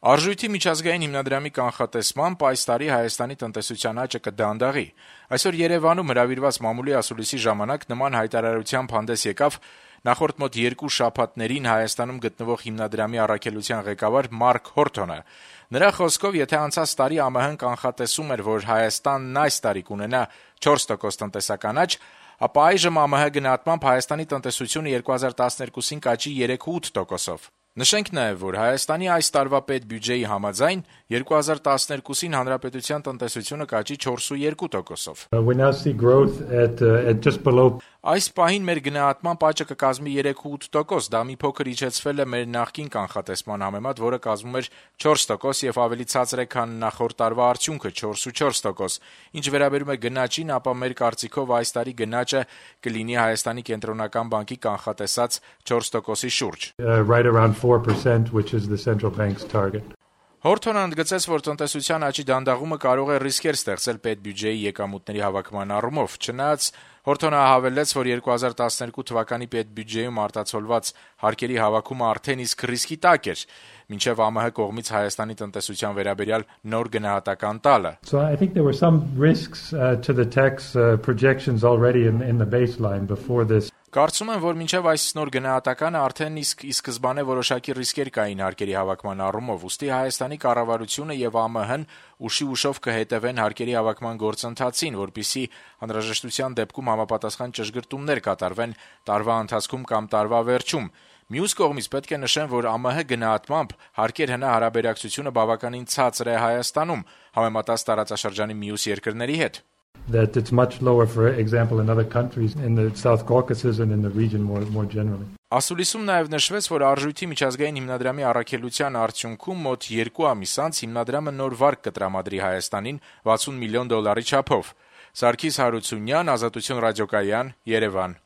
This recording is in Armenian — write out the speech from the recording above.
Արժույթի միջազգային հիմնադրամի կանխատեսմամբ այս տարի Հայաստանի տնտեսության աճը կդանդաղի։ Այսօր Երևանում հրավիրված մամուլի ասուլիսի ժամանակ նման հայտարարությամբ հանդես եկավ նախորդ մոտ 2 շաբաթներին Հայաստանում գտնվող հիմնադրամի առաքելության ղեկավար Մարկ Հորթոնը։ Նրա խոսքով, եթե անցած տարի ԱՄՀ-ն կանխատեսում էր, որ Հայաստանն այս տարի կունենա 4% տնտեսական աճ, ապա այժմ ԱՄՀ գնահատմամբ Հայաստանի տնտեսությունը 2012-ին կաճի 3,8%-ով։ Նշենք նաև, որ Հայաստանի այս տարվա պետբյուջեի համաձայն 2012-ին հանրապետության տնտեսությունը կաճի 4,2%-ով։ Այս պահին մեր գնահատմամբ աճը կկազմի 3,8%, դա մի փոքր իջեցվել է մեր նախկին կանխատեսման համեմատ, որը կազմում էր 4% եւ ավելի ցածր է, քան նախորդ տարվա արդյունքը 4,4%։ Ինչ վերաբերում է գնաճին, ապա մեր կարծիքով այս տարի գնաճը կլինի Հայաստանի կենտրոնական բանկի կանխատեսած 4%-ի շուրջ։ Right around 4%, which is the central bank's target. Հորթոնը ընդգծեց, որ տնտեսության աճի դանդաղումը կարող է ռիսկեր ստեղծել պետբյուջեի եկամուտների հավաքման առումով։ Չնայած Հորթոնը հավելեց, որ 2012 թվականի պետբյուջեում արտացոլված հարկերի հավաքումը արդեն իսկ ռիսկի տակ էր, մինչև ԱՄՀ կողմից Հայաստանի տնտեսության վերաբերյալ նոր գնահատական տալը։ So I think there were some risks to the tax projections already in the baseline before this. Կարծում եմ, որ մինչև այս նոր գնահատականը արդեն իսկ ի սկզբանե որոշակի ռիսկեր կային հարկերի հավաքման առումով, ուստի Հայաստանի կառավարությունը եւ ԱՄՀ-ն ուշի-ուշով կհետևեն հարկերի հավաքման գործընթացին, որպեսզի անհրաժեշտության դեպքում համապատասխան ճշգրտումներ կատարվեն տարվա ընթացքում կամ տարվա վերջում։ Մյուս կողմից պետք է նշեմ, որ ԱՄՀ գնահատմամբ հարկեր հնա հարաբերակցությունը բավականին ցածր է Հայաստանում, համեմատած տարածաշրջանի մյուս երկրների հետ։ That it's much lower, for example, in other countries in the South Caucasus and in the region more generally. Ասուլիսում նաև նշվեց, որ Արժույթի միջազգային հիմնադրամի առաքելության արդյունքում մոտ 2 ամիս անց հիմնադրամը նոր վարկ կտրամադրի Հայաստանին $60 միլիոն չափով։ Սարգիս Հարությունյան, Ազատություն ռադիոկայան, Երևան։